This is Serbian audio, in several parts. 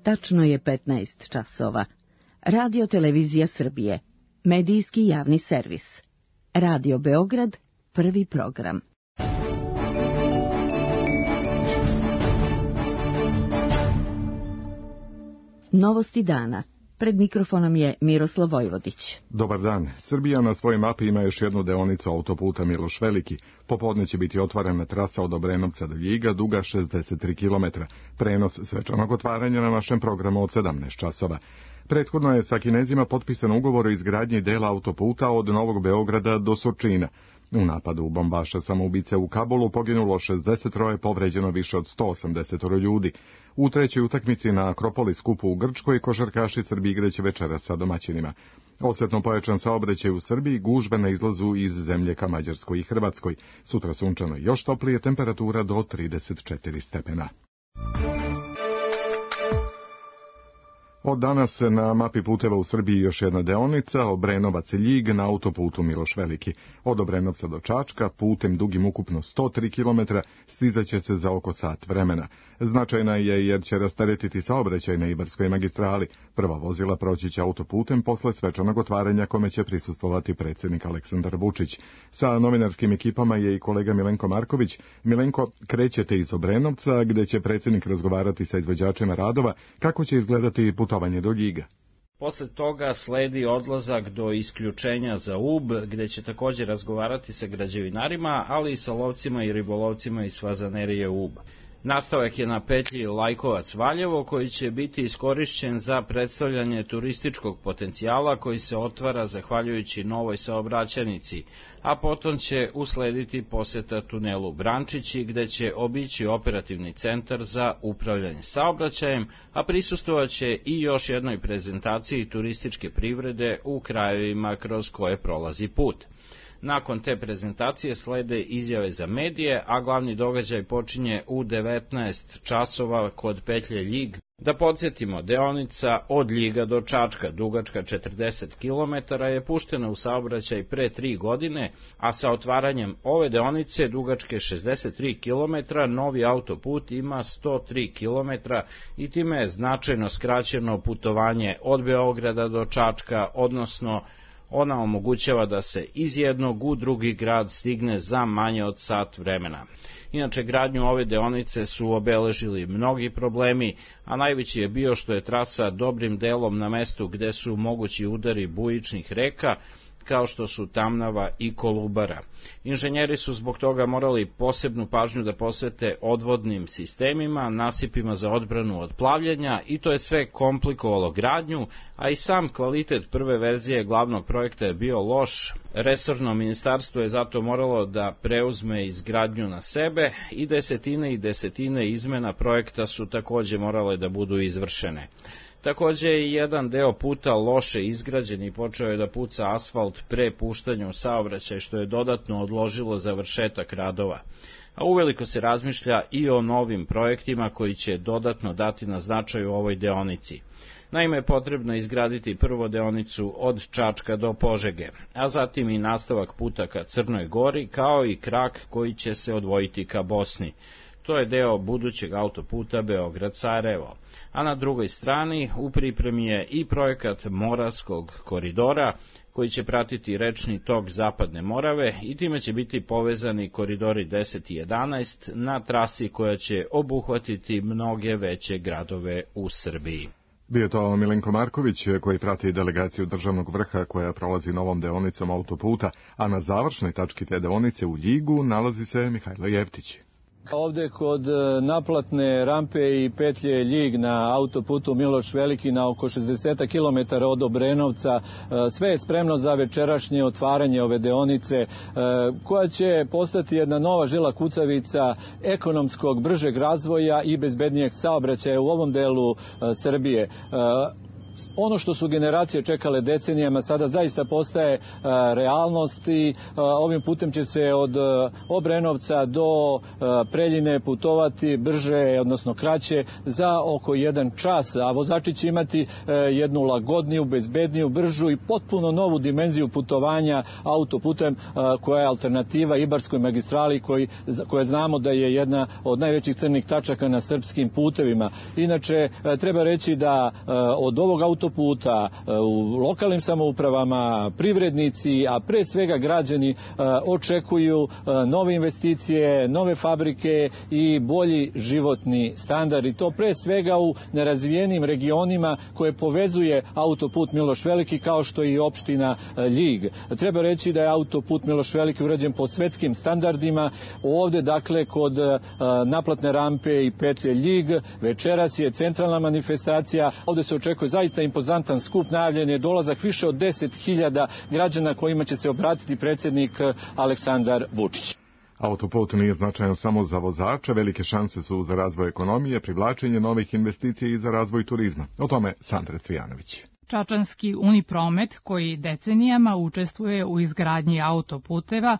Tačno je 15 časova. Radio Televizija Srbije. Medijski javni servis. Radio Beograd, prvi program. Novosti dana. Pred mikrofonom je Miroslav Vojvodić. Dobar dan. Srbija na svojoj mapi ima još jednu deonicu autoputa Miloš Veliki. Popodne će biti otvorena trasa od Obrenovca do Ljiga, duga 63 km. Prenos svečanog otvaranja na našem programu od 17 časova. Prethodno je sa Kinezima potpisan ugovor o izgradnji dela autoputa od Novog Beograda do Surčina. U napadu bombaša samoubice u Kabulu poginulo 63, povređeno više od 180 ljudi. U trećoj utakmici na Akropolis kupu u Grčkoj košarkaši Srbi igraće večeras sa domaćinima. Osjetno pojačan saobraćaj u Srbiji, gužve na izlazu iz zemlje ka Mađarskoj i Hrvatskoj. Sutra sunčano, još toplije, temperatura do 34 stepena. Od danas na mapi puteva u Srbiji još jedna deonica, Obrenovac-Ljig na autoputu Miloš Veliki. Od Obrenovca do Čačka, putem dugim ukupno 103 km, stizaće se za oko sat vremena. Značajna je jer će rasteretiti saobraćaj na Ibarskoj magistrali. Prva vozila proći će autoputem posle svečanog otvaranja kome će prisustvovati predsjednik Aleksandar Vučić. Sa novinarskim ekipama je i kolega Milenko Marković. Milenko, krećete iz Obrenovca, gde će predsjednik razgovarati sa izvođačima radova. Kako će izgledati putovanje do Ljiga? Posle toga sledi odlazak do isključenja za Ub, gde će također razgovarati sa građevinarima, ali i sa lovcima i ribolovcima iz fazanerije Ub. Nastavak je na petlji Lajkovac-Valjevo, koji će biti iskorišćen za predstavljanje turističkog potencijala koji se otvara zahvaljujući novoj saobraćajnici, a potom će uslediti poseta tunelu Brančići, gde će obići operativni centar za upravljanje saobraćajem, a prisustvovaće i još jednoj prezentaciji turističke privrede u krajevima kroz koje prolazi put. Nakon te prezentacije slede izjave za medije, a glavni događaj počinje u 19 časova kod petlje Ljig. Da podsjetimo, deonica od Ljiga do Čačka, dugačka 40 km, je puštena u saobraćaj pre 3 godine, a sa otvaranjem ove deonice, dugačke 63 km, novi autoput ima 103 km i time je značajno skraćeno putovanje od Beograda do Čačka, odnosno ona omogućava da se iz jednog u drugi grad stigne za manje od sat vremena. Inače, gradnju ove deonice su obeležili mnogi problemi, a najveći je bio što je trasa dobrim delom na mestu gde su mogući udari bujičnih reka, kao što su Tamnava i Kolubara. Inženjeri su zbog toga morali posebnu pažnju da posvete odvodnim sistemima, nasipima za odbranu od plavljenja i to je sve komplikovalo gradnju, a i sam kvalitet prve verzije glavnog projekta je bio loš. Resorno ministarstvo je zato moralo da preuzme izgradnju na sebe i desetine izmena projekta su takođe morale da budu izvršene. Takođe je jedan deo puta loše izgrađen i počeo je da puca asfalt pre puštanja u saobraćaj, što je dodatno odložilo završetak radova. A uveliko se razmišlja i o novim projektima koji će dodatno dati na značaju ovoj deonici. Naime, potrebno je izgraditi prvo deonicu od Čačka do Požege, a zatim i nastavak puta ka Crnoj Gori, kao i krak koji će se odvojiti ka Bosni. To je deo budućeg autoputa Beograd-Sarajevo. A na drugoj strani u pripremi je i projekat Moravskog koridora, koji će pratiti rečni tok Zapadne Morave i time će biti povezani koridori 10 i 11 na trasi koja će obuhvatiti mnoge veće gradove u Srbiji. Bio to Milenko Marković koji prati delegaciju državnog vrha koja prolazi novom deonicom autoputa, a na završnoj tački te deonice u Ljigu nalazi se Mihajlo Jevtić. Ovde kod naplatne rampe i petlje Ljig na autoputu Miloš Veliki na oko 60 km od Obrenovca sve je spremno za večerašnje otvaranje ove deonice koja će postati jedna nova žila kucavica ekonomskog bržeg razvoja i bezbednijeg saobraćaja u ovom delu Srbije. ono što su generacije čekale decenijama sada zaista postaje realnost i ovim putem će se od Obrenovca do Preljine putovati brže, odnosno kraće za oko 1 čas, a vozači će imati jednu lagodniju, bezbedniju, bržu i potpuno novu dimenziju putovanja autoputem koja je alternativa Ibarskoj magistrali koja znamo da je jedna od najvećih crnih tačaka na srpskim putevima. Inače, treba reći da od ovog autoputa u lokalnim samoupravama, privrednici, a pre svega građani očekuju nove investicije, nove fabrike i bolji životni standard. I to pre svega u nerazvijenim regionima koje povezuje autoput Miloš Veliki kao što je i opština Ljig. Treba reći da je autoput Miloš Veliki urađen po svetskim standardima. Ovde, dakle, kod naplatne rampe i petlje Ljig, večeras je centralna manifestacija. Ovde se očekuje zaista impozantan skup, najavljen je dolazak više od 10.000 građana kojima će se obratiti predsjednik Aleksandar Vučić. Autoput nije značajan samo za vozače, velike šanse su za razvoj ekonomije, privlačenje novih investicija i za razvoj turizma. O tome Sandra Cvijanović. Čačanski Unipromet, koji decenijama učestvuje u izgradnji autoputeva,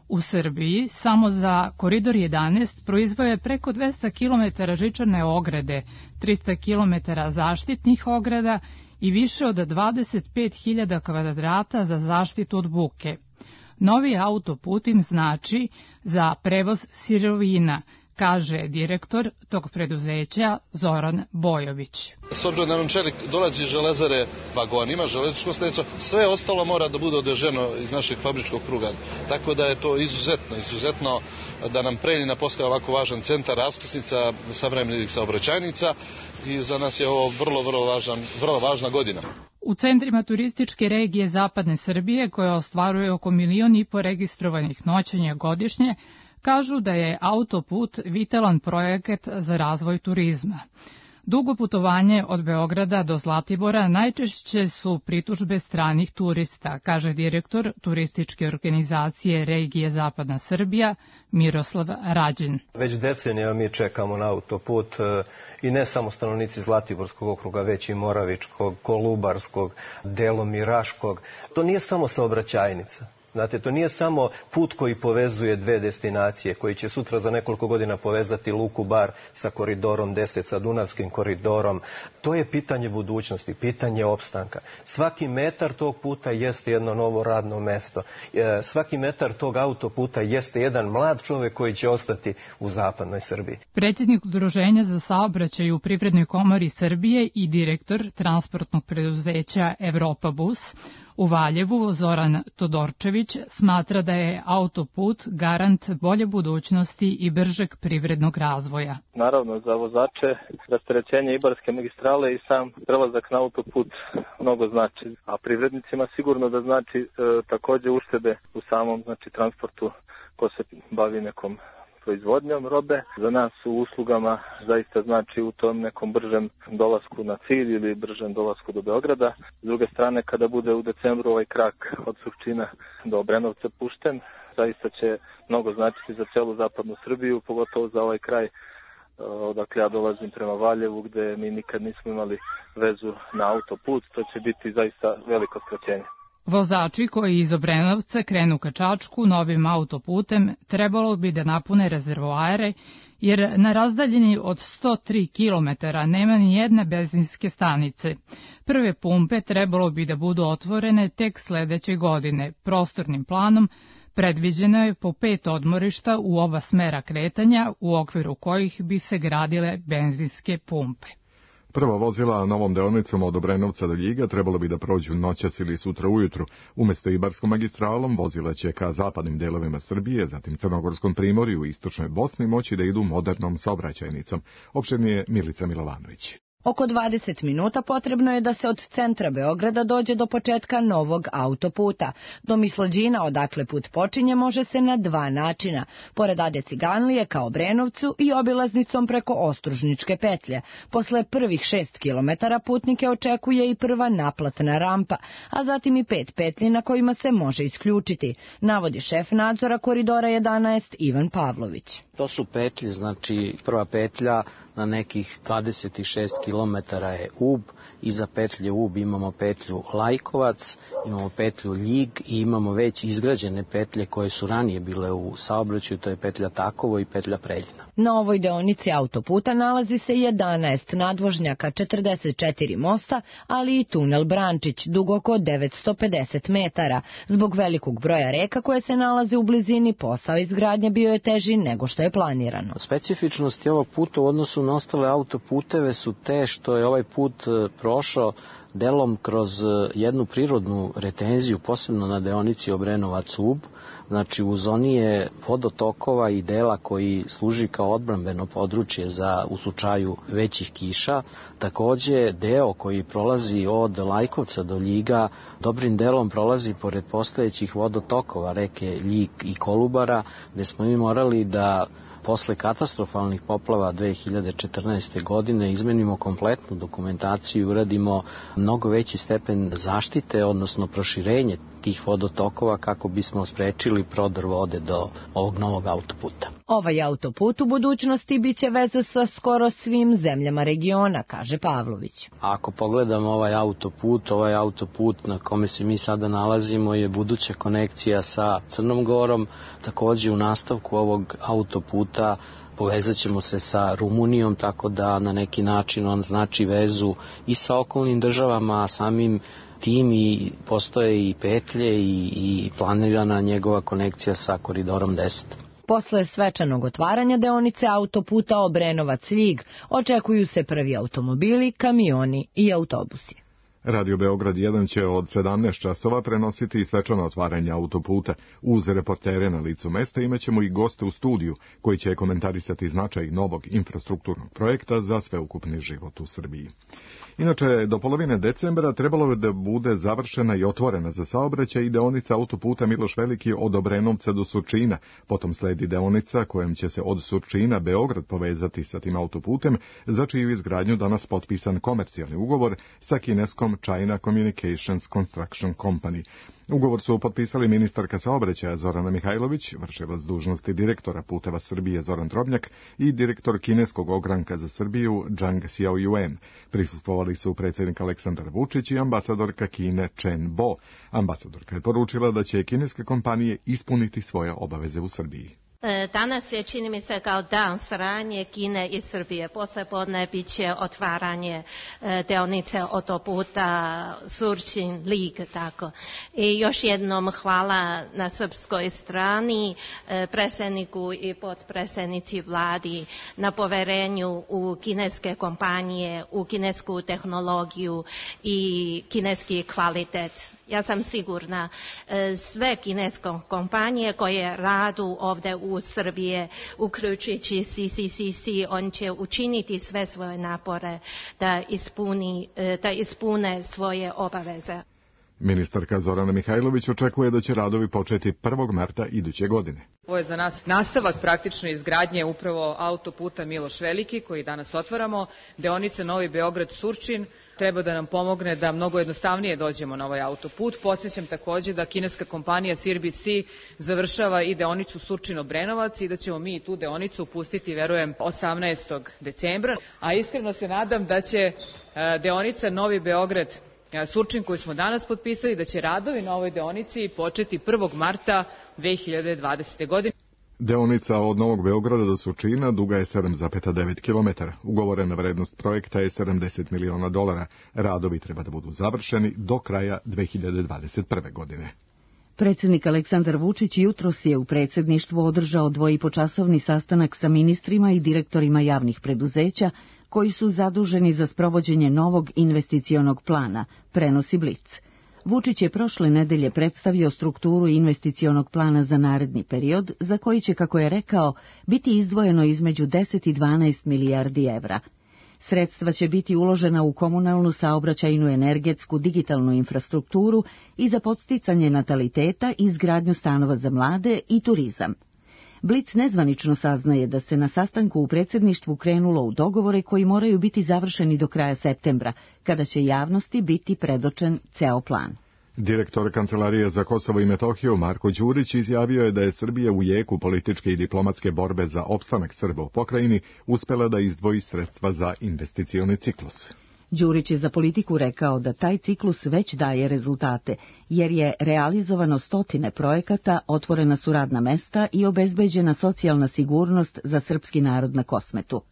u Srbiji samo za Koridor 11 proizveo je preko 200 km žičane ograde, 300 km zaštitnih ograda i više od 25.000 kvadrata za zaštitu od buke. Novi autoput im znači za prevoz sirovina, kaže direktor tog preduzeća Zoran Bojović. S obzirom da nam čelik dolazi iz železare vagonima, železničkom stanico, sve ostalo mora da bude odveženo iz našeg fabričkog pruga. Tako da je to izuzetno da nam Preljina postaje ovako važan centar raskrsnica savremenih saobraćajnica i za nas je ovo vrlo važna godina. U centrima turističke regije Zapadne Srbije, koja ostvaruje oko 1,5 miliona registrovanih noćenja godišnje, kažu da je autoput vitalan projekat za razvoj turizma. Dugo putovanje od Beograda do Zlatibora najčešće su pritužbe stranih turista, kaže direktor turističke organizacije regije Zapadna Srbija Miroslav Rađin. Već decenija mi čekamo na autoput i ne samo stanovnici Zlatiborskog okruga, već i Moravičkog, Kolubarskog, delom i Raškog. To nije samo saobraćajnica. Znate, to nije samo put koji povezuje dve destinacije, koji će sutra za nekoliko godina povezati Luku Bar sa koridorom 10, sa Dunavskim koridorom. To je pitanje budućnosti, pitanje opstanka. Svaki metar tog puta jeste jedno novo radno mesto. Svaki metar tog autoputa jeste jedan mlad čovjek koji će ostati u zapadnoj Srbiji. Predsjednik Udruženja za saobraćaj u Privrednoj komori Srbije i direktor transportnog preduzeća Evropa Bus u Valjevu, Zoran Todorčević, smatra da je autoput garant bolje budućnosti i bržeg privrednog razvoja. Naravno, za vozače rasterećenje Ibarske magistrale i sam prelazak na autoput mnogo znači, a privrednicima sigurno da znači također uštede u samom transportu ko se bavi nekom proizvodnjom robe. Za nas u uslugama zaista znači u tom nekom bržem dolasku na cilj ili bržem dolasku do Beograda. S druge strane, kada bude u decembru ovaj krak od Surčina do Obrenovca pušten, zaista će mnogo značiti za celu zapadnu Srbiju, pogotovo za ovaj kraj odakle ja dolazim prema Valjevu, gde mi nikad nismo imali vezu na autoput. To će biti zaista veliko skraćenje. Vozači koji iz Obrenovca krenu ka Čačku novim autoputem trebalo bi da napune rezervoare, jer na razdaljini od 103 km nema ni jedne benzinske stanice. Prve pumpe trebalo bi da budu otvorene tek sledeće godine. Prostornim planom predviđeno je po 5 odmorišta u oba smera kretanja, u okviru kojih bi se gradile benzinske pumpe. Prva vozila novom deonicom od Obrenovca do Ljiga trebalo bi da prođu noćas ili sutra ujutru. Umesto Ibarskom magistralom vozila će ka zapadnim delovima Srbije, zatim Crnogorskom primorju i istočnoj Bosni moći da idu modernom saobraćajnicom. Opširnije Milica Milovanović. Oko 20 minuta potrebno je da se od centra Beograda dođe do početka novog autoputa. Do Mislođina, odakle put počinje, može se na 2 načina. Pored Ade Ciganlije ka Obrenovcu i obilaznicom preko Ostružničke petlje. Posle prvih 6 kilometara putnike očekuje i prva naplatna rampa, a zatim i 5 petlji na kojima se može isključiti, navodi šef nadzora koridora 11 Ivan Pavlović. To su petlje, znači prva petlja na nekih 26 km je Ub, iza petlje Ub imamo petlju Lajkovac, imamo petlju Ljig i imamo već izgrađene petlje koje su ranije bile u saobraćaju, to je petlja Takovo i petlja Preljina. Na ovoj deonici autoputa nalazi se 11 nadvožnjaka, 44 mosta, ali i tunel Brančić, dug oko 950 metara. Zbog velikog broja reka koje se nalaze u blizini, posao izgradnje bio je teži nego što je planirano. Specifičnosti ovog puta u odnosu na ostale autoputeve su te što je ovaj put prošao delom kroz jednu prirodnu retenziju, posebno na deonici Obrenovac-Ub. Znači u zoni je vodotokova i dela koji služi kao odbrambeno područje u slučaju većih kiša. Takođe deo koji prolazi od Lajkovca do Ljiga dobrim delom prolazi pored postojećih vodotokova reke Ljig i Kolubara, gde smo mi morali da posle katastrofalnih poplava 2014. godine izmenimo kompletnu dokumentaciju i uradimo mnogo veći stepen zaštite, odnosno proširenje tih vodotokova kako bismo sprečili prodor vode do ovog novog autoputa. Ovaj autoput u budućnosti biće veza sa skoro svim zemljama regiona, kaže Pavlović. Ako pogledamo ovaj autoput na kome se mi sada nalazimo je buduća konekcija sa Crnom Gorom. Takođe u nastavku ovog autoputa povezat ćemo se sa Rumunijom, tako da na neki način on znači vezu i sa okolnim državama, a samim tim i postoje i petlje i planirana njegova konekcija sa Koridorom 10. Posle svečanog otvaranja deonice autoputa Obrenovac-Ljig očekuju se prvi automobili, kamioni i autobusi. Radio Beograd 1 će od 17 časova prenositi svečano otvaranje autoputa. Uz reportere na licu mesta imaćemo i goste u studiju koji će komentarisati značaj novog infrastrukturnog projekta za sveukupni život u Srbiji. Inače, do polovine decembra trebalo je da bude završena i otvorena za saobraćaj i deonica autoputa Miloš Veliki od Obrenovca do Surčina. Potom sledi deonica kojom će se od Surčina Beograd povezati sa tim autoputem, za čiju izgradnju danas potpisan komercijalni ugovor sa kineskom China Communications Construction Company. Ugovor su potpisali ministarka saobraćaja Zorana Mihajlović, vršilac dužnosti direktora Puteva Srbije Zoran Drobnjak i direktor kineskog ogranka za Srbiju Zhang Xiaoyuan. Prisustvovali su predsjednik Aleksandar Vučić i ambasadorka Kine Chen Bo. Ambasadorka je poručila da će kineske kompanije ispuniti svoje obaveze u Srbiji. Danas je, čini mi se, kao dan saradnje Kine i Srbije. Poslepodne bit će otvaranje deonice autoputa Surčin-Lig, tako. I još jednom hvala na srpskoj strani, predsjedniku i potpredsjednici vladi na poverenju u kineske kompanije, u kinesku tehnologiju i kineski kvalitet. Ja sam sigurna, sve kineske kompanije koje radu ovdje u Srbije, uključujući CCCC, on će učiniti sve svoje napore da ispune svoje obaveze. Ministarka Zorana Mihajlović očekuje da će radovi početi 1. marta iduće godine. Ovo je za nas nastavak praktično izgradnje upravo autoputa Miloš Veliki koji danas otvaramo, deonice Novi Beograd-Surčin. Treba da nam pomogne da mnogo jednostavnije dođemo na ovaj autoput. Podsjećam takođe da kineska kompanija CRBC završava i deonicu Surčin-Obrenovac i da ćemo mi tu deonicu pustiti, verujem, 18. decembra. A iskreno se nadam da će deonica Novi Beograd-Surčin koju smo danas potpisali, da će radovi na ovoj deonici početi 1. marta 2020. godine. Deonica od Novog Beograda do Surčina duga je 7,9 km. Ugovorena vrednost projekta je $70 miliona. Radovi treba da budu završeni do kraja 2021. godine. Predsjednik Aleksandar Vučić jutros je u predsjedništvu održao dvoipočasovni sastanak sa ministrima i direktorima javnih preduzeća koji su zaduženi za sprovođenje novog investicionog plana, prenosi Blic. Vučić je prošle nedelje predstavio strukturu investicionog plana za naredni period, za koji će, kako je rekao, biti izdvojeno između 10 i 12 milijardi evra. Sredstva će biti uložena u komunalnu, saobraćajnu, energetsku, digitalnu infrastrukturu i za podsticanje nataliteta, izgradnju stanova za mlade i turizam. Blic nezvanično saznaje da se na sastanku u predsjedništvu krenulo u dogovore koji moraju biti završeni do kraja septembra, kada će javnosti biti predočen ceo plan. Direktor Kancelarije za Kosovo i Metohiju Marko Đurić izjavio je da je Srbija u jeku političke i diplomatske borbe za opstanak Srba u pokrajini uspela da izdvoji sredstva za investicioni ciklus. Đurić je za Politiku rekao da taj ciklus već daje rezultate, jer je realizovano stotine projekata, otvorena su radna mesta i obezbeđena socijalna sigurnost za srpski narod na Kosmetu.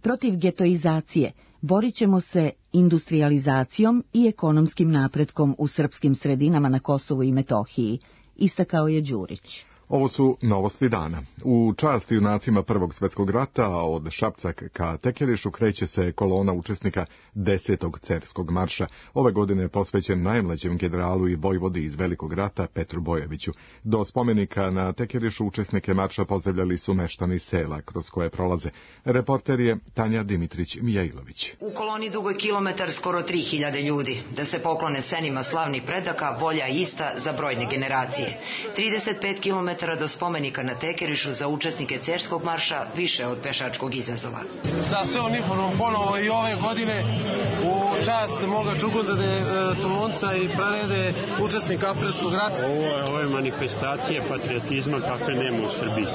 Protiv getoizacije borit ćemo se industrializacijom i ekonomskim napretkom u srpskim sredinama na Kosovu i Metohiji, istakao je Đurić. Ovo su novosti dana. U čast junacima Prvog svjetskog rata, a od Šapca ka Tekerišu kreće se kolona učesnika 10. cerskog marša. Ove godine je posvećen najmlađem generalu i vojvodi iz Velikog rata Petru Bojoviću. Do spomenika na Tekerišu učesnike marša pozdravljali su meštani sela kroz koje prolaze. Reporter je Tanja Dimitrić-Mijailović. U koloni dugoj kilometar skoro 3000 ljudi. Da se poklone senima slavnih predaka, volja ista za brojne generacije. 35 km do spomenika na Tekerišu za učesnike cerskog marša više od pešačkog izazova. Sa sve uniformom ponovo i ove godine u čast moga Čukundade, Solunca i Pranede, učesnika Aprilskog rata. Ovo je manifestacija patriotizma kakve nema u Srbiji.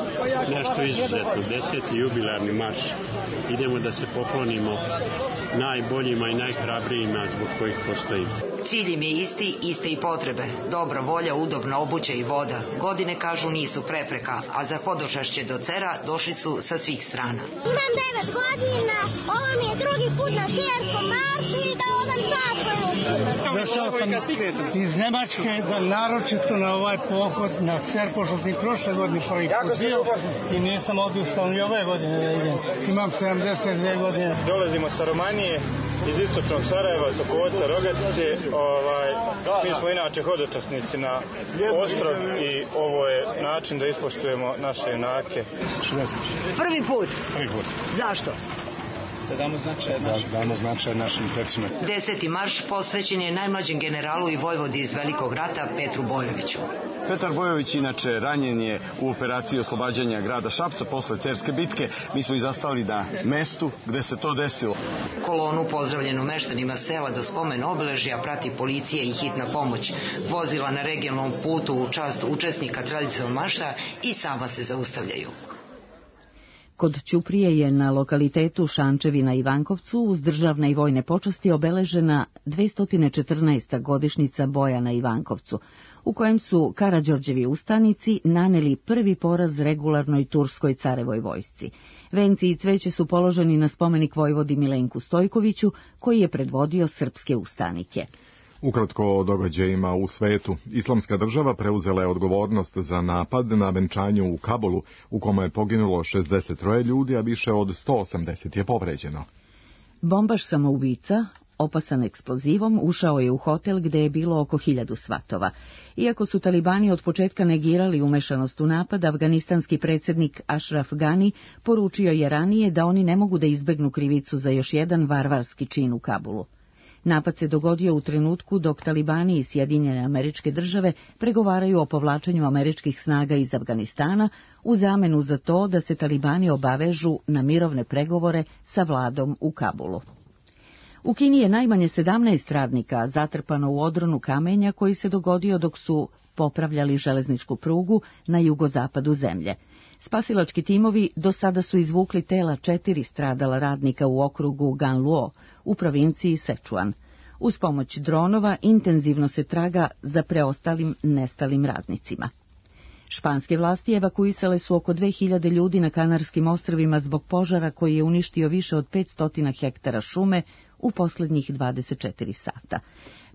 Nešto izuzetno, 10. jubilarni marš. Idemo da se poklonimo najboljima i najhrabrijima zbog kojih postojimo. Cilj im je isti, iste i potrebe. Dobra volja, udobna obuća i voda. Godine, kažu, nisu prepreka, a za hodočašće do Cera došli su sa svih strana. Imam 9 godina, ovo mi je drugi put na Cerskom maršu i da odam čast. Došao sam iz Nemačke, naročito na ovaj pohod na Cer, pošto sam prošle godine prvi put bio i nisam odustao ni ove godine da idem. Imam 72 godine. Dolazimo sa Romanije, iz istočnog Sarajeva, Sokoca, Rogatice. Mi smo inače hodočasnici na ostrov i ovo je način da ispoštujemo naše junake. Prvi put? Prvi put. Zašto? Da damo značaj našim precima. 10. marš posvećen je najmlađem generalu i vojvodi iz Velikog rata Petru Bojoviću. Petar Bojović inače ranjen je u operaciji oslobađanja grada Šapca posle Cerske bitke. Mi smo i zastali na mestu gde se to desilo. Kolonu pozdravljenu meštanima sela do spomen obeležja prati policija i hitna pomoć. Vozila na regionalnom putu u čast učesnika tradicionalnog marša i sama se zaustavljaju. Kod Ćuprije je na lokalitetu Šančevi na Ivankovcu uz državne i vojne počasti obeležena 214. godišnjica boja na Ivankovcu, u kojem su Karađorđevi ustanici naneli prvi poraz regularnoj turskoj carevoj vojsci. Venci i cveće su položeni na spomenik vojvodi Milenku Stojkoviću, koji je predvodio srpske ustanike. Ukratko o događajima u svetu. Islamska država preuzela je odgovornost za napad na venčanju u Kabulu, u kome je poginulo 63 ljudi, a više od 180 je povređeno. Bombaš samoubica, opasan eksplozivom, ušao je u hotel gde je bilo oko 1000 svatova. Iako su talibani od početka negirali umešanost u napad, afganistanski predsjednik Ashraf Ghani poručio je ranije da oni ne mogu da izbegnu krivicu za još jedan varvarski čin u Kabulu. Napad se dogodio u trenutku dok talibani i Sjedinjene Američke Države pregovaraju o povlačenju američkih snaga iz Afganistana u zamenu za to da se talibani obavežu na mirovne pregovore sa vladom u Kabulu. U Kini je najmanje 17 radnika zatrpano u odronu kamenja koji se dogodio dok su popravljali železničku prugu na jugozapadu zemlje. Spasilački timovi do sada su izvukli tela 4 stradala radnika u okrugu Ganluo u provinciji Sečuan. Uz pomoć dronova intenzivno se traga za preostalim nestalim radnicima. Španske vlasti evakuisale su oko 2000 ljudi na Kanarskim ostrvima zbog požara koji je uništio više od 500 hektara šume u posljednjih 24 sata.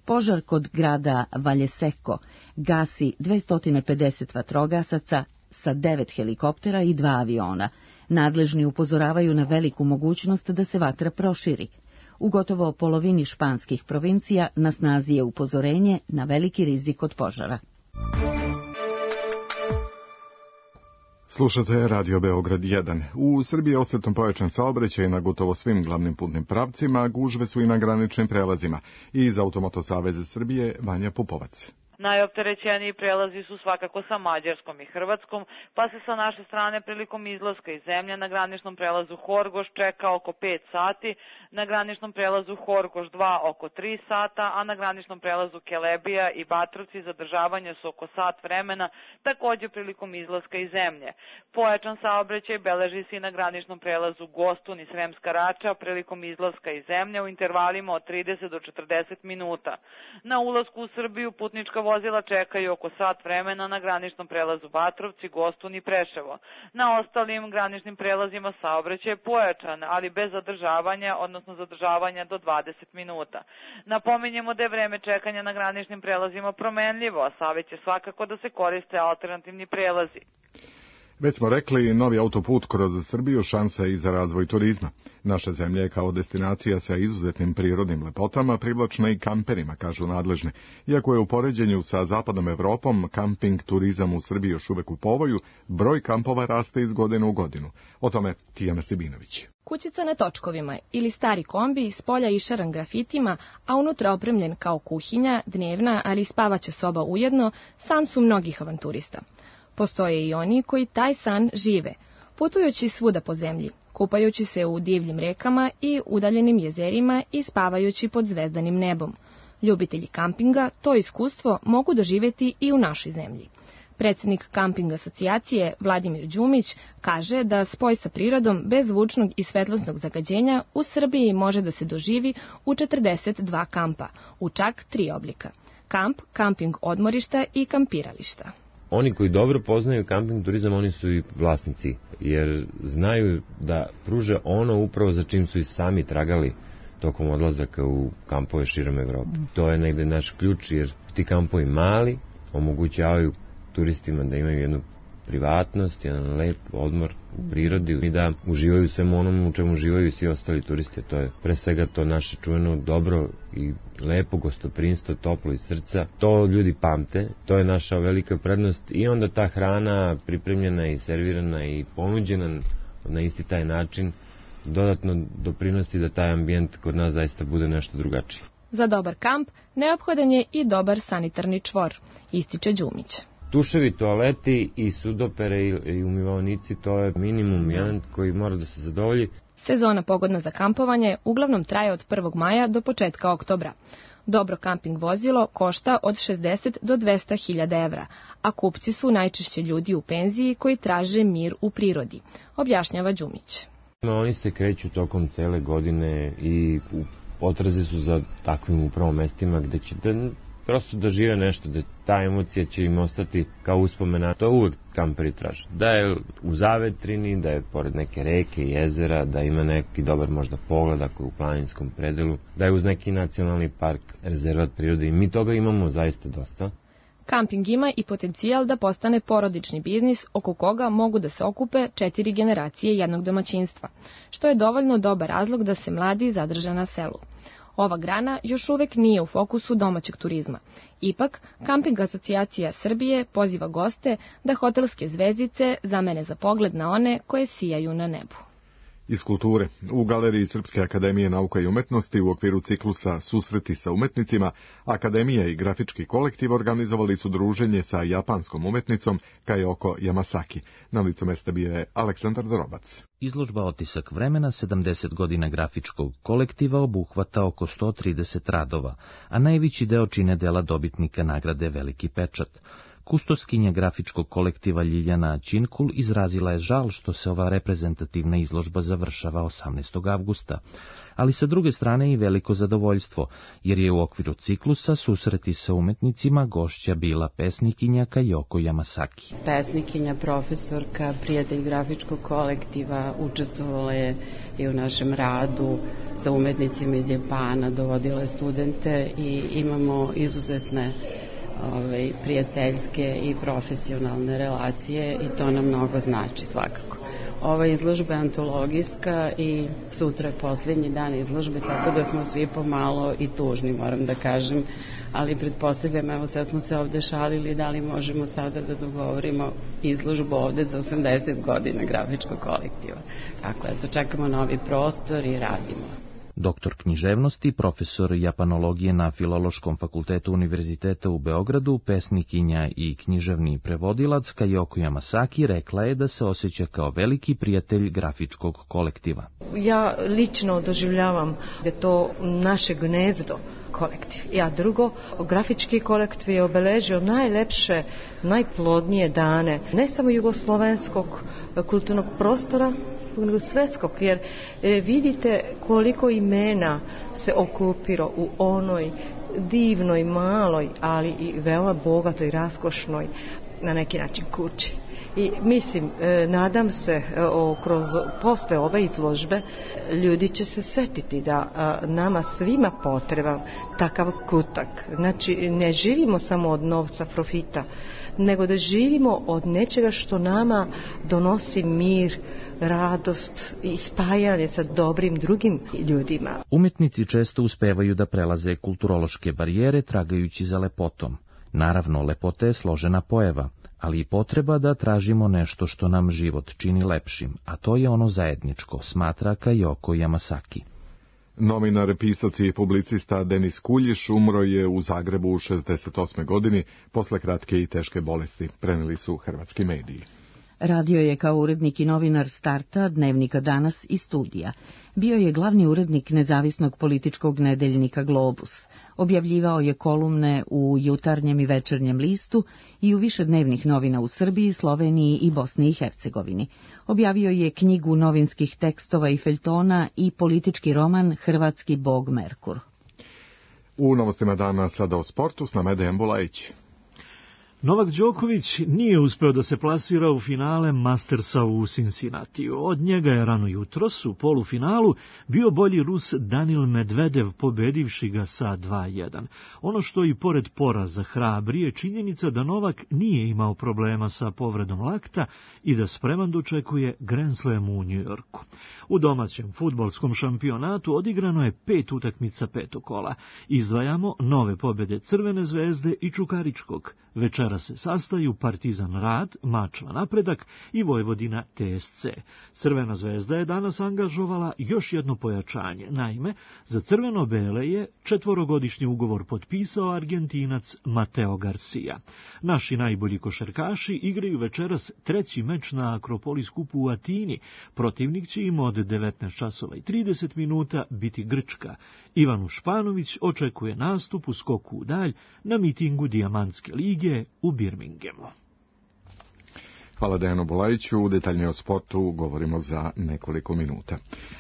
Požar kod grada Valleseco gasi 250 vatrogasaca sa 9 helikoptera i 2 aviona. Nadležni upozoravaju na veliku mogućnost da se vatra proširi. U gotovo polovini španskih provincija na snazi je upozorenje na veliki rizik od požara. Slušate Radio Beograd 1. U Srbiji je osjetno pojačan saobraćaj na gotovo svim glavnim putnim pravcima, gužve su i na graničnim prelazima. Iz Automoto saveza Srbije Vanja Pupovac. Najopterećeniji prelazi su svakako sa Mađarskom i Hrvatskom, pa se sa naše strane prilikom izlaska iz zemlje na graničnom prelazu Horgoš čeka oko 5 sati, na graničnom prelazu Horgoš 2 oko 3 sata, a na graničnom prelazu Kelebija i Batrovci zadržavanja su oko sat vremena, takođe prilikom izlaska iz zemlje. Pojačan saobraćaj beleži se i na graničnom prelazu Gostun i Sremska Rača prilikom izlaska iz zemlje u intervalima od 30 do 40 minuta. Na ulasku u Srbiju putnička vozila čekaju oko sat vremena na graničnom prelazu Batrovci, Gostun i Preševo. Na ostalim graničnim prelazima saobraćaj je pojačan, ali bez zadržavanja, odnosno zadržavanja do 20 minuta. Napominjemo da je vreme čekanja na graničnim prelazima promenljivo, a savjet je svakako da se koriste alternativni prelazi. Već smo rekli, novi autoput kroz Srbiju šansa je i za razvoj turizma. Naša zemlja je kao destinacija sa izuzetnim prirodnim lepotama privlačna i kamperima, kažu nadležne. Iako je u poređenju sa zapadnom Evropom kamping turizam u Srbiji još uvek u povoju, broj kampova raste iz godine u godinu. O tome Tijana Sibinović. Kućica na točkovima ili stari kombi s polja išaran grafitima, a unutra opremljen kao kuhinja, dnevna, ali i spavaća soba ujedno, san su mnogih avanturista. Postoje i oni koji taj san žive, putujući svuda po zemlji, kupajući se u divljim rekama i udaljenim jezerima i spavajući pod zvezdanim nebom. Ljubitelji kampinga to iskustvo mogu doživjeti i u našoj zemlji. Predsjednik Kamping asocijacije Vladimir Đumić kaže da spoj sa prirodom bez zvučnog i svetlosnog zagađenja u Srbiji može da se doživi u 42 kampa, u čak 3 oblika: kamp, kamping odmorišta i kampirališta. Oni koji dobro poznaju kamping turizam, oni su i vlasnici, jer znaju da pruže ono upravo za čim su i sami tragali tokom odlazaka u kampove širom Evrope. To je negde naš ključ, jer ti kampovi mali omogućavaju turistima da imaju jednu privatnost, jedan lep odmor u prirodi i da uživaju svemu onom u čemu uživaju i svi ostali turisti. To je pre svega to naše čuveno dobro i lepo gostoprinstvo, toplo iz srca. To ljudi pamte, to je naša velika prednost i onda ta hrana pripremljena i servirana i ponuđena na isti taj način dodatno doprinosi da taj ambijent kod nas zaista bude nešto drugačiji. Za dobar kamp neophodan je i dobar sanitarni čvor, ističe Đumić. Tuševi, toaleti i sudopere i umivaonici, to je minimum jedan koji mora da se zadovolji. Sezona pogodna za kampovanje uglavnom traje od 1. maja do početka oktobra. Dobro kamping vozilo košta od 60 do 200.000 evra, a kupci su najčešće ljudi u penziji koji traže mir u prirodi, objašnjava Đumić. Oni se kreću tokom cele godine i u potrazi su za takvim upravo mestima gde će da prosto dožive nešto, da ta emocija će im ostati kao uspomena. To uvek kamperi traže. Da je u zavetrini, da je pored neke reke, jezera, da ima neki dobar možda pogled ako je u planinskom predelu, da je uz neki nacionalni park, rezervat prirode i mi toga imamo zaista dosta. Kamping ima i potencijal da postane porodični biznis oko koga mogu da se okupe 4 generacije jednog domaćinstva, što je dovoljno dobar razlog da se mladi zadrže na selu. Ova grana još uvek nije u fokusu domaćeg turizma. Ipak, Kamping asocijacija Srbije poziva goste da hotelske zvezdice zamene za pogled na one koje sijaju na nebu. Iz kulture. U Galeriji Srpske akademije nauka i umetnosti u okviru ciklusa Susreti sa umetnicima, Akademija i grafički kolektiv organizovali su druženje sa japanskom umetnicom Kajoko Yamasaki. Na licu mesta bio je Aleksandar Dorobac. Izložba Otisak vremena 70 godina grafičkog kolektiva obuhvata oko 130 radova, a najveći deo čine dela dobitnika nagrade Veliki pečat. Kustoskinja grafičkog kolektiva Ljiljana Ćinkul izrazila je žal što se ova reprezentativna izložba završava 18. avgusta, ali sa druge strane i veliko zadovoljstvo, jer je u okviru ciklusa Susreti sa umetnicima gošća bila pesnikinja Kajoko Yamasaki. Pesnikinja, profesorka, prijatelj grafičkog kolektiva, učestvovala je i u našem radu sa umetnicima iz Japana, dovodila je studente i imamo izuzetne prijateljske i profesionalne relacije i to nam mnogo znači svakako. Ova izložba je antologijska i sutra je posljednji dan izložbe, tako da smo svi pomalo i tužni, moram da kažem, ali pretpostavljam, evo sad smo se ovde šalili da li možemo sada da dogovorimo izložbu ovde za 80 godina grafičkog kolektiva. Tako, eto, čekamo novi prostor i radimo. Doktor književnosti, profesor japanologije na Filološkom fakultetu Univerziteta u Beogradu, pesnikinja i književni prevodilac Kajoko Yamasaki rekla je da se osjeća kao veliki prijatelj grafičkog kolektiva. Ja lično doživljavam da je to naše gnezdo kolektiv. Ja drugo, grafički kolektiv je obeležio najlepše, najplodnije dane, ne samo jugoslovenskog kulturnog prostora, nego svetskog, jer vidite koliko imena se okupiro u onoj divnoj, maloj, ali i veoma bogatoj, raskošnoj, na neki način kući. I mislim, nadam se, posle ove izložbe ljudi će se setiti da nama svima potreban takav kutak. Znači, ne živimo samo od novca, profita, nego da živimo od nečega što nama donosi mir, radost i spajanje sa dobrim drugim ljudima. Umjetnici često uspevaju da prelaze kulturološke barijere tragajući za lepotom. Naravno, lepota je složena pojava, ali i potreba da tražimo nešto što nam život čini lepšim, a to je ono zajedničko, smatra Kajoko Yamasaki. Novinar, pisac i publicista Denis Kuljiš umro je u Zagrebu u 68. godini posle kratke i teške bolesti, preneli su hrvatski mediji. Radio je kao urednik i novinar Starta, Dnevnika Danas i Studija. Bio je glavni urednik nezavisnog političkog nedeljnika Globus. Objavljivao je kolumne u Jutarnjem i Večernjem listu i u višednevnih novina u Srbiji, Sloveniji i Bosni i Hercegovini. Objavio je knjigu novinskih tekstova i feljtona i politički roman Hrvatski bog Merkur. U novostima dana sada o sportu s nama je Dejan Bulajić. Novak Đoković nije uspeo da se plasira u finale Mastersa u Cincinnatiju. Od njega je rano jutros u polufinalu bio bolji Rus Danil Medvedev, pobedivši ga sa 2:1. Ono što i pored poraza hrabri je činjenica da Novak nije imao problema sa povredom lakta i da spreman dočekuje Grand Slam u Njujorku. U domaćem fudbalskom šampionatu odigrano je 5 utakmica petokola. Izdvajamo nove pobjede Crvene zvezde i Čukaričkog. Večera se sastaju Partizan Rad, Mačva Napredak i Vojvodina TSC. Crvena zvezda je danas angažovala još jedno pojačanje. Naime, za crveno-bele je 4-godišnji ugovor potpisao Argentinac Mateo Garcia. Naši najbolji košarkaši igraju večeras 3. meč na Akropolis kupu u Atini. Protivnik će im od 19:30 biti Grčka. Ivanu Španović očekuje nastup u skoku u dalj na mitingu Dijamantske lige u Birminghamu. Hvala Dejanu Bulajiću, detaljnije o sportu govorimo za nekoliko minuta.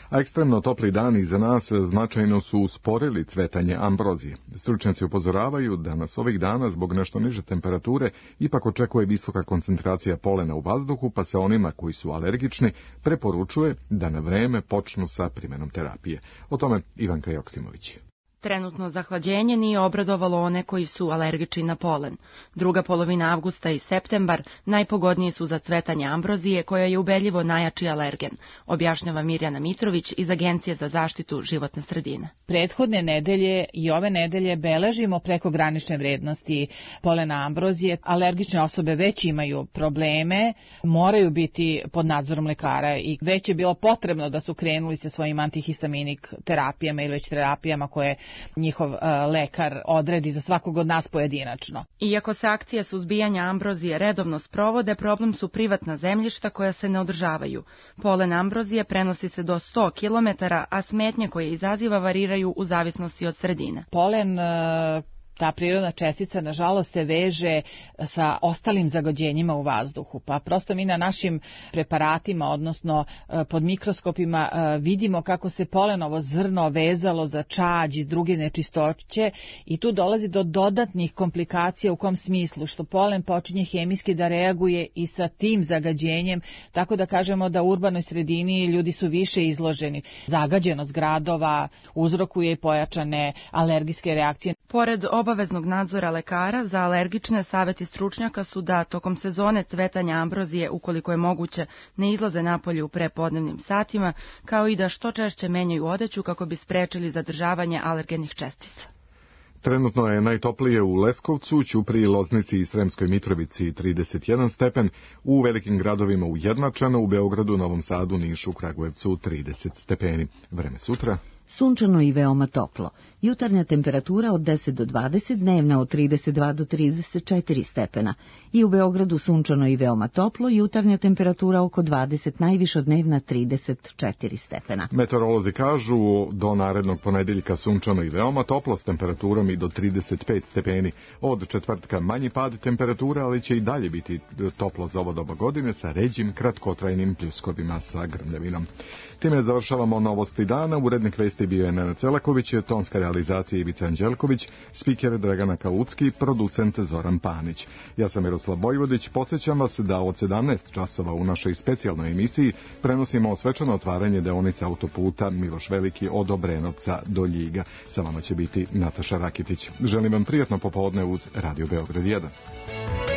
A ekstremno topli dani za nas značajno su usporili cvetanje ambrozije. Stručnjaci upozoravaju da nas ovih dana zbog nešto niže temperature ipak očekuje visoka koncentracija polena u vazduhu, pa se onima koji su alergični preporučuje da na vreme počnu sa primjenom terapije. O tome Ivanka Joksimović. Trenutno zahlađenje nije obradovalo one koji su alergični na polen. Druga polovina avgusta i septembar najpogodniji su za cvetanje ambrozije, koja je ubedljivo najjači alergen, objašnjava Mirjana Mitrović iz Agencije za zaštitu životne sredine. Prethodne nedelje i ove nedelje beležimo prekogranične vrednosti polena ambrozije. Alergične osobe već imaju probleme, moraju biti pod nadzorom lekara i već je bilo potrebno da su krenuli sa svojim antihistaminik terapijama ili već terapijama koje njihov lekar odredi za svakog od nas pojedinačno. Iako se akcije suzbijanja ambrozije redovno sprovode, problem su privatna zemljišta koja se ne održavaju. Polen ambrozije prenosi se do 100 km, a smetnje koje izaziva variraju u zavisnosti od sredine. Polen, ta prirodna čestica, nažalost, se veže sa ostalim zagađenjima u vazduhu. Pa prosto mi na našim preparatima, odnosno pod mikroskopima, vidimo kako se polenovo zrno vezalo za čađ i druge nečistoće i tu dolazi do dodatnih komplikacija. U kom smislu? Što polen počinje hemijski da reaguje i sa tim zagađenjem, tako da kažemo da u urbanoj sredini ljudi su više izloženi. Zagađenost gradova uzrokuje i pojačane alergijske reakcije. Pored obaveznog nadzora lekara, za alergične savjeti stručnjaka su da tokom sezone cvetanja ambrozije, ukoliko je moguće, ne izlaze napolje u prepodnevnim satima, kao i da što češće menjaju odeću kako bi sprečili zadržavanje alergenih čestica. Trenutno je najtoplije u Leskovcu, Ćupriji, Loznici i Sremskoj Mitrovici 31 stepen, u velikim gradovima ujednačeno, u Beogradu, Novom Sadu, Nišu, Kragujevcu 30 stepeni. Vreme sutra. Sunčano i veoma toplo. Jutarnja temperatura od 10 do 20, dnevna od 32 do 34 stepena. I u Beogradu sunčano i veoma toplo, jutarnja temperatura oko 20, najviša dnevna 34 stepena. Meteorolozi kažu do narednog ponedeljka sunčano i veoma toplo s temperaturom i do 35 stepeni. Od četvrtka manji pad temperatura, ali će i dalje biti toplo za ovo doba godine sa ređim kratkotrajnim pljuskovima sa grmljavinom. Time završavamo novosti dana. Urednik vesti bio je Nenad Celaković, tonska realizacija Ivica Anđelković, spiker Dragana Kalucki, producent Zoran Panić. Ja sam Miroslav Bojvodić, podsjećam vas da od 17 časova u našoj specijalnoj emisiji prenosimo svečano otvaranje deonice autoputa Miloš Veliki od Obrenovca do Ljiga. Sa vama će biti Nataša Rakitić. Želim vam prijatno popodne uz Radio Beograd 1.